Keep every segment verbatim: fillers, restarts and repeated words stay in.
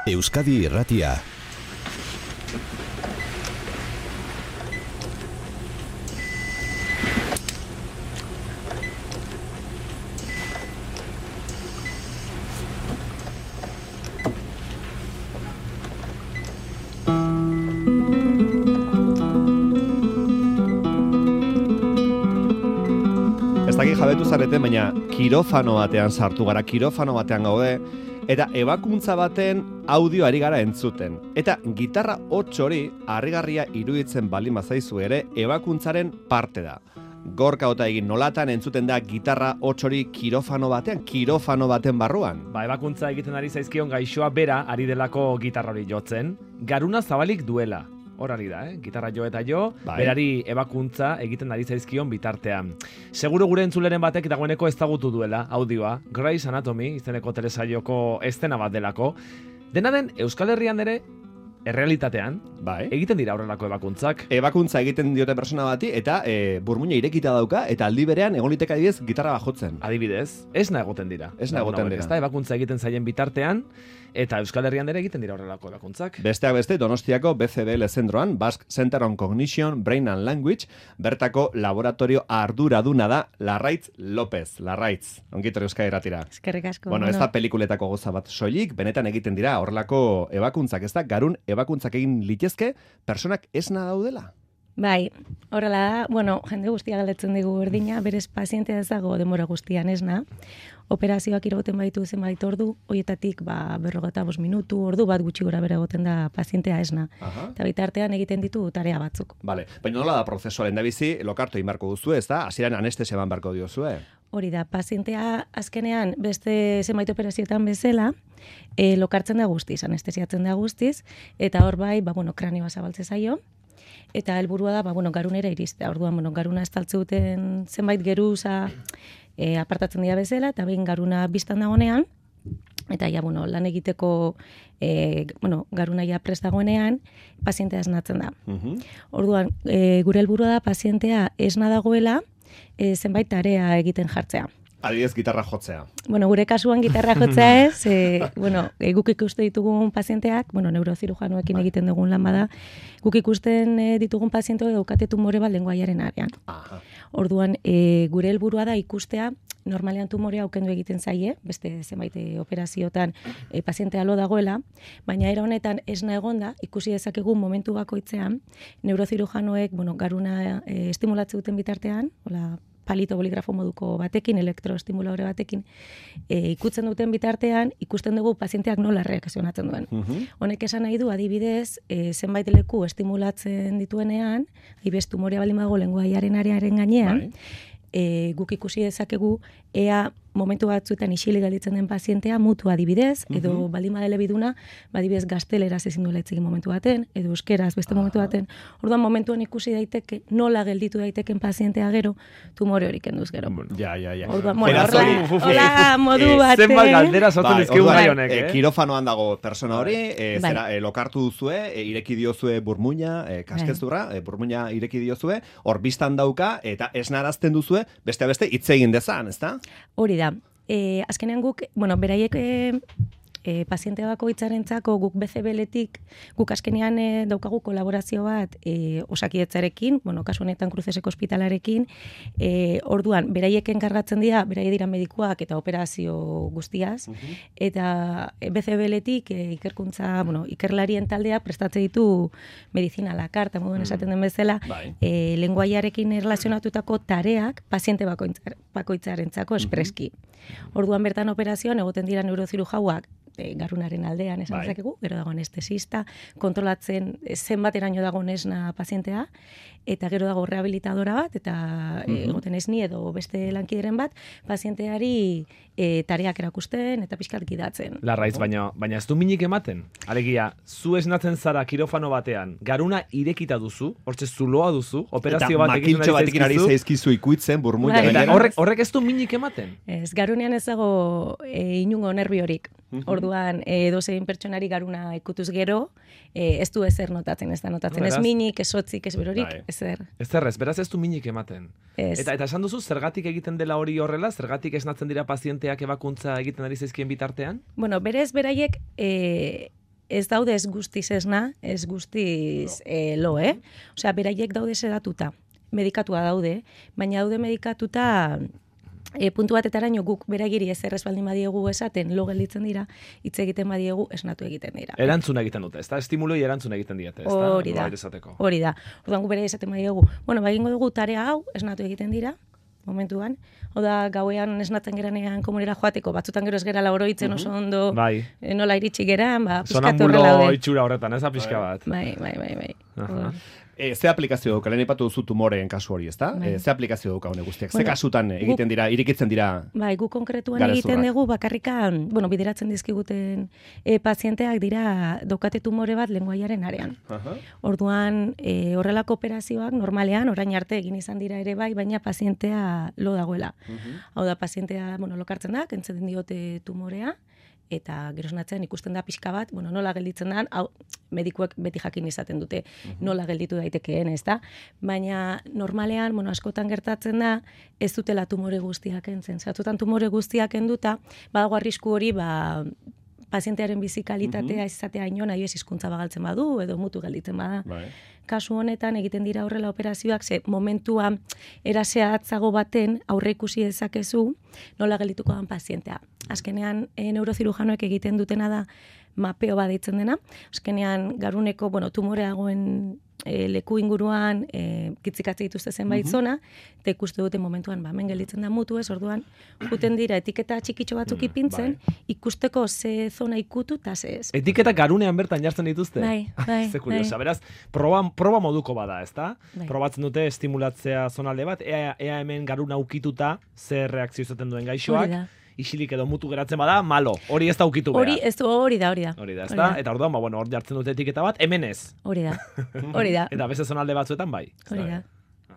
Euskadi Irratia. Ez dakit jabetu zarete, baina kirofano batean sartu gara, kirofano batean gaude, eta ebakuntza baten audio ari gara entzuten. Eta gitarra hots hori, harrigarria iruditzen baldin bazaizu ere, ebakuntzaren parte da. Gorka ota egin nolatan entzuten da gitarra hots hori kirofano batean, kirofano baten barruan. Ba, ebakuntza egiten ari zaizkion gaixoa bera ari delako gitarra hori jotzen, garuna zabalik duela. Hor ari da, eh? Gitarra jo eta jo, bai. Berari ebakuntza egiten ari zaizkion bitartean. Seguro gure entzuleren batek dagoeneko ezagutu duela audioa, Grey's Anatomy, izeneko telesaioko estena bat delako. Dena den, Euskal Herrian ere, errealitatean, bai. Egiten dira horrelako ebakuntzak. Ebakuntza egiten diote persona bati, eta e, burmuina irekita dauka, eta aldi berean egon liteke adibidez gitarra bajotzen. Adibidez, esna egoten dira. Esna egoten dira. Ez da, ebakuntza egiten zaien bitartean, eta Euskal Herrian ere egiten dira horrelako ebakuntzak. Besteak beste, Donostiako B C B L zentroan, Basque Center on Cognition, Brain and Language, bertako laboratorio arduraduna da Larraitz López. Larraitz, ongitor Euskadi Irratira. Eskerrik asko. Bueno, ez da pelikuletako goza bat soilik, benetan egiten dira horrelako ebakuntzak, ez da, garun ebakuntzak egin litezke, personak esna daudela? Bai, horrela da, bueno, jende guztia galdetzen digu berdina, berez pazientea ez dago denbora guztian esna. Operazioak irauten baitu zenbait ordu, horietatik ba, berrogeta bost minutu, ordu bat gutxi gora bera egoten da pazientea esna. Aha. Eta bitartean egiten ditu tarea batzuk. Vale, baina nola da prozesuaren da bizi, lokartu inbarko duzu, ez da? Hasieran anestesia eman barko diozue? Hori da, pazientea azkenean beste zenbait operazioetan bezala, e, lokartzen da guztiz, anestesiatzen da guztiz, eta hor bai, ba, bueno, kranioa zabaltze zaio, eta helburua da, ba, bueno, garunera iristea. Orduan, bueno, garuna estaltze duten zenbait geruza e, apartatzen dira bezala, eta behin garuna biztan dagoenean, eta ja, bueno, lan egiteko e, bueno, garuna ja prest dagoenean, pazientea esnatzen da. Uh-huh. Orduan, e, gure helburua da pazientea esna dagoela, e, zenbait tarea egiten jartzea. Adibidez, gitarra jotzea. Bueno, gure kasuan gitarra jotzea ez, e, bueno, e, guk ikuste ditugun pazienteak, bueno, neurozirujanoekin bai. Egiten dugun lan bada, guk ikusten e, ditugun pazienteak daukate tumore bat lengoaiaren arean. Aha. Orduan, e, gure helburua da ikustea, normalean tumorea aukendu egiten zaie, beste zenbait operaziotan e, pazientea lo dagoela, baina era honetan esna egonda, ikusi dezakegu momentu bakoitzean, neurozirujanoek, bueno, garuna e, estimulatze duten bitartean, hola, palito boligrafo moduko batekin, elektroestimuladore batekin, e, ikutzen duten bitartean, ikusten dugu pazienteak nola reakzionatzen duen. Uh-huh. Honek esan nahi du, adibidez, e, zenbait leku estimulatzen dituenean, adibidez tumorea baldin badago lengoaiaren arearen gainean, bai. e, guk ikusi dezakegu, ea momentu batzuetan isilik gelditzen den pazientea mutu adibidez, edo uh-huh. baldin badele biduna, adibidez gazteleraz ezin duela hitz egin momentu baten, edo euskeraz beste momentu baten. Orduan momentuan ikusi daiteke nola gelditu daiteken pazientea gero, tumore hori kenduz gero. Ja, ja, ja. Orduan, bueno, horla modu baten. Zenbat galdera zoten dizkigu gai honek, eh? Kirofanoan dago persona hori, eh, zera, eh, lokartu duzue, eh, ireki diozue burmuina, eh, kaskezurra, eh, burmuina ireki diozue, hor biztan dauka, eta esnarazten duzue, beste beste hitz egin dezan, ezta? Hori da. E, azkenean guk, bueno, beraiek e, e, paziente bakoitzarentzako guk B C B L-etik, guk azkenean e, daukagu kolaborazio bat e, Osakidetzarekin, bueno, kasu honetan Kruzeseko ospitalarekin, e, orduan, beraiek enkargatzen dira, beraiek dira medikuak eta operazio guztiaz, uh-huh. eta B C B L-etik e, ikerkuntza, bueno, ikerlarien taldea prestatze ditu medizina la karta, moduen esaten den bezala, uh-huh. e, lenguaiarekin erlazionatutako tareak paziente bakoitzar, bakoitzarentzako espreski. Uh-huh. Orduan bertan operazioan egoten dira neurozirujauak e, garunaren aldean esan dezakegu, gero dago anestesista, kontrolatzen zenbateraino dago esna pazientea, eta gero dago rehabilitadora bat, eta uh-huh. e, egoten esni edo beste lankideren bat, pazienteari e, tareak erakusten eta pixkat gidatzen. Larraiz, baina, baina ez du minik ematen. Alegia, zu esnatzen zara kirofano batean, garuna irekita duzu, hortze zuloa duzu, operazio bat egiten makiltxo batekin ari zaizkizu ikuitzen, burmuina. Eta horrek, horrek ez du minik ematen. Ez, garunean ez dago e, inungo nervi horik. Uh-huh. Orduan, e, dozein pertsonari garuna ikutuz gero, e, ez du ezer notatzen, ez da notatzen. No, ez minik, ez hotzik, ez berorik, ezer. Ezer ez, beraz ez du minik ematen. Ez. Eta, eta esan duzu, zergatik egiten dela hori horrela, zergatik esnatzen dira pazienteak ebakuntza egiten ari zaizkien bitartean? Bueno, berez beraiek, e, ez daude ez guztiz esna, ez guztiz eh, lo, eh? Osea, beraiek daude sedatuta, medikatua daude, baina daude medikatuta E, puntu batetaraino guk beragiri ezer ez baldin badiegu esaten lo gelditzen dira, hitz egiten badiegu esnatu egiten dira. Erantzun egiten dute, ezta? Estimuloi erantzun egiten diete, ezta? Hori da. Hori da. Orduan gu bere esaten badiegu, bueno, ba egingo dugu tarea hau esnatu egiten dira momentuan. Oda gauean esnatzen geranean komunera joateko, batzutan gero ez gera oroitzen oso ondo. Bai. E, nola iritsi geran, ba pizkat horrela daude. Sonambulo itxura horretan, ez da pixka bat. Bai, bai, bai, bai. Uh-huh. E, ze aplikazio dauka, lehen ipatu duzu tumoreen kasu hori, ezta? Bai. E, ze aplikazio dauka hone guztiak? Bueno, ze kasutan egiten dira, irikitzen dira? Bai, gu konkretuan egiten dugu bakarrikan, bueno, bideratzen dizkiguten e, pazienteak dira daukate tumore bat lengoaiaren arean. Uh-huh. Orduan, e, horrelako operazioak normalean orain arte egin izan dira ere bai, baina pazientea lo dagoela. Uh-huh. Hau da, pazientea, bueno, lokartzen da, kentzen diote tumorea, eta gero esnatzen ikusten da pixka bat, bueno, nola gelditzen da, hau, medikuek beti jakin izaten dute, nola gelditu daitekeen, ez da? Baina normalean, bueno, askotan gertatzen da, ez dutela tumore guztiak entzen. Zatutan tumore guztiak enduta, badago arrisku hori, ba, pazientearen bizikalitatea ez izatea ino, nahi ez hizkuntza bagaltzen badu, edo mutu gelditzen bada. Bai. Kasu honetan egiten dira horrela operazioak, ze momentua eraseatzago baten aurre ikusi dezakezu nola geldituko dan pazientea. Azkenean e, neurozirujanoek egiten dutena da mapeo bat deitzen dena. Azkenean garuneko, bueno, tumoreagoen e, leku inguruan e, kitzikatze dituzte zenbait uh-huh. zona, eta ikuste dute momentuan, ba, hemen gelditzen da mutu ez, orduan, juten dira etiketa txikitxo batzuk ipintzen, mm, bai. ikusteko ze zona ikutu eta ze ez. Etiketa garunean bertan jartzen dituzte? Bai, bai. Ze kuriosa, bai. Beraz, proba, proba moduko bada, ezta? Bai. Probatzen dute estimulatzea zonalde bat, ea, ea hemen garuna ukituta, zer reakzio izaten duen gaixoak, isilik edo mutu geratzen bada, malo. Hori ez da ukitu behar. Hori, ez du, hori da, hori da. Hori da, ez da? Eta orduan, ba, bueno, hor jartzen dute etiketa bat, hemen ez. Hori da, hori da. Eta beste zonalde batzuetan, bai. Hori da.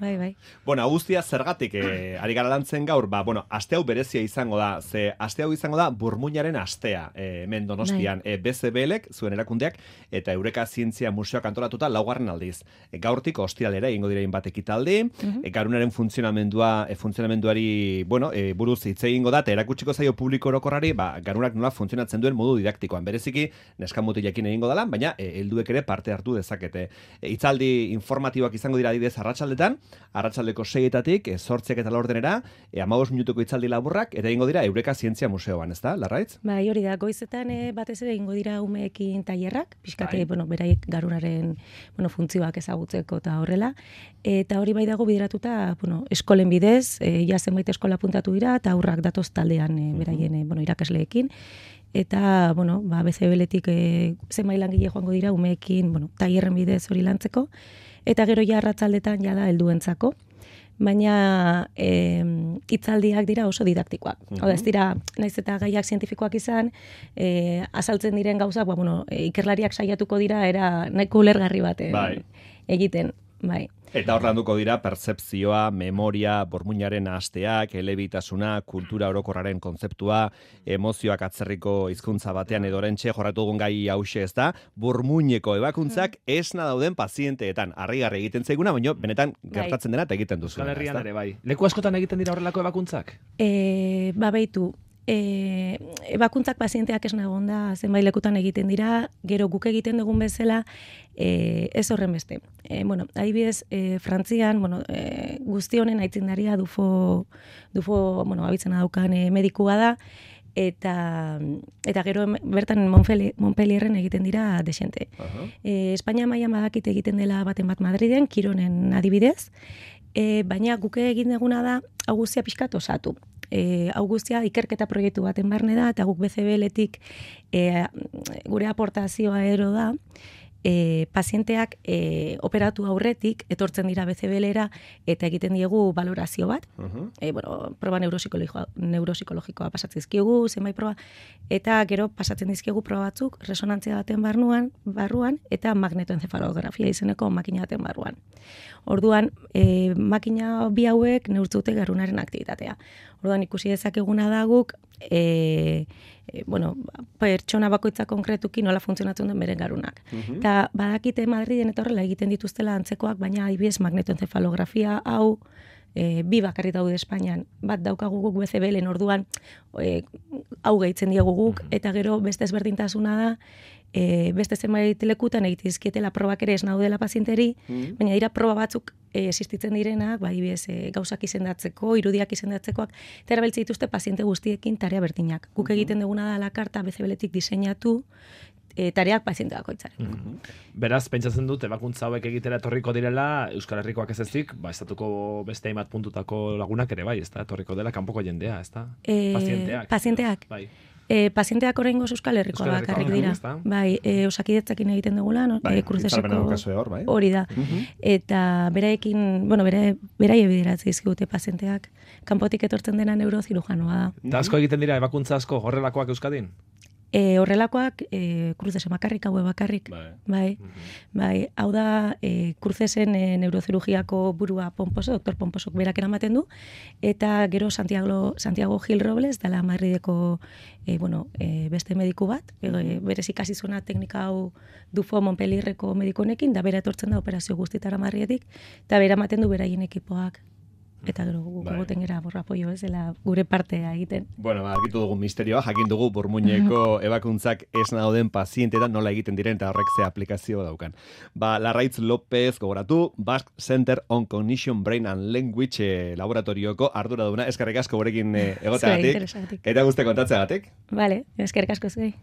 Bai, bai. Bueno, guztia zergatik eh, ari gara lantzen gaur, ba, bueno, aste hau berezia izango da, ze aste hau izango da burmuinaren astea, eh, hemen Donostian, bai. e, B C B Lek, zuen erakundeak, eta Eureka Zientzia Museoak antolatuta laugarren aldiz. E, gaurtik ostiralera egingo dira bat ekitaldi, uh-huh. e, garunaren funtzionamendua, e, funtzionamenduari, bueno, e, buruz hitz egingo da, eta erakutsiko zaio publiko orokorrari, ba, garunak nola funtzionatzen duen modu didaktikoan. Bereziki, neskamutilekin egingo dela, baina e, helduek ere parte hartu dezakete. E, hitzaldi informatiboak izango dira adibidez arratsaldetan, arratsaldeko seietatik, zortziak eta laurdenera, e, hamabost minutuko hitzaldi laburrak, eta egingo dira Eureka Zientzia Museoan, ez da, Larraitz? Bai, hori da, goizetan e, batez ere egingo dira umeekin tailerrak, pixkate, bai. bueno, beraiek garunaren bueno, funtzioak ezagutzeko eta horrela, eta hori bai dago bideratuta, bueno, eskolen bidez, e, ja zenbait eskola puntatu dira, eta aurrak datoz taldean e, beraien e, bueno, irakasleekin, eta, bueno, ba, B C B Letik e, zenbait langile joango dira umeekin, bueno, tailerren bidez hori lantzeko, eta gero ja arratsaldetan jada helduentzako, baina e, hitzaldiak dira oso didaktikoak. Uh-huh. Hau da, ez dira, naiz eta gaiak zientifikoak izan, e, azaltzen diren gauzak, ba, bueno, e, ikerlariak saiatuko dira, era nahiko ulergarri baten bai. egiten, bai. Eta hor landuko dira pertzepzioa, memoria, burmuinaren asteak, elebitasuna, kultura orokorraren kontzeptua, emozioak atzerriko hizkuntza batean edo orentxe jorratu dugun gai hause ez da, burmuineko ebakuntzak esna dauden pazienteetan. Harrigarri egiten zaiguna, baina benetan gertatzen dena eta egiten duzu. Euskal Herrian ere bai. Leku askotan egiten dira horrelako ebakuntzak? E, ba behitu. E, ebakuntzak pazienteak esna egon da, zenbait lekutan egiten dira, gero guk egiten dugun bezala, e, ez horren beste. E, bueno, adibidez, e, Frantzian, bueno, e, guzti honen aitzindaria Dufo, Dufo, bueno, abitzena daukan e, medikua da, eta eta gero bertan Montpellierren egiten dira desente. Uh-huh. E, Espainia mailan badakit egiten dela baten bat Madriden, Kironen adibidez, e, baina guk egin duguna da, hau guztia pixkat osatu. E, hau guztia ikerketa proiektu baten barne da, eta guk B C B Letik e, gure aportazioa ero da, e, pazienteak e, operatu aurretik, etortzen dira B C B Lera, eta egiten diegu valorazio bat, uh-huh. e, bueno, proba neuropsikologikoa, neuropsikologikoa pasatzizkigu, zenbait proba, eta gero pasatzen dizkigu proba batzuk, resonantzia baten barruan, barruan eta magnetoencefalografia izeneko makina baten barruan. Orduan, e, makina bi hauek neurtzute garunaren aktibitatea. Orduan, ikusi dezakeguna da guk, e, e, bueno, pertsona bakoitza konkretuki nola funtzionatzen duen beren garunak. Uh-huh. Eta badakite Madriden eta horrela egiten dituztela antzekoak, baina adibidez magnetoencefalografia hau e, bi bakarrik daude Espainian, bat daukagu guk B C B-len orduan e, hau gehitzen diegu guk, eta gero beste ezberdintasuna da, e, beste zenbait lekutan egitizkietela probak ere ez naudela pazienteri, mm. baina dira proba batzuk e, existitzen direnak, bai bez, e, gauzak izendatzeko, irudiak izendatzekoak, eta erabiltze dituzte paziente guztiekin tarea berdinak. Guk egiten duguna da la karta B C B-letik diseinatu, e, tareak paziente bakoitzaren. Mm-hmm. Beraz, pentsatzen dut, ebakuntza hauek egitera etorriko direla, Euskal Herrikoak ez ezik, ba, estatuko beste hainbat puntutako lagunak ere bai, ez da, etorriko dela kanpoko jendea, ez da? E, pazienteak. Pazienteak. Bai. E, pazienteak oraingoz Euskal Herrikoa bakarrik dira. Bai, e, Osakidetzakin egiten dugula, no? Bai, e, Kruzeseko bai. hori da. Uh-huh. Eta beraekin, bueno, bera, beraie bideratzen dizkigute pazienteak, kanpotik etortzen dena neurozirujanoa da. Eta asko egiten dira ebakuntza asko horrelakoak Euskadin? E, horrelakoak, e, Kruzese bakarrik, haue bakarrik. Bai. Bai. Mhm. Bai, hau da, e, Kruzesen e, neurozirugiako burua Pomposo, doktor Pomposok berak eramaten du, eta gero Santiago, Santiago Gil Robles, dala Madrideko e, bueno, e, beste mediku bat, e, berez ikasi zuena teknika hau Dufo Montpellierreko medikonekin, da bera etortzen da operazio guztitara Madridetik, eta bera ematen du beraien ekipoak. Eta gero gugoten gara borra apoio ez dela gure partea egiten. Bueno, ba, argitu dugu misterioa, jakin dugu burmuineko ebakuntzak ez dauden pazientetan nola egiten diren eta horrek ze aplikazio daukan. Ba, Larraitz López gogoratu, Basque Center on Cognition, Brain and Language eh, laboratorioko arduraduna, eskerrik asko gurekin eh, egoteagatik. Eta guzti kontatzeagatik. Vale, eskerrik asko zuei.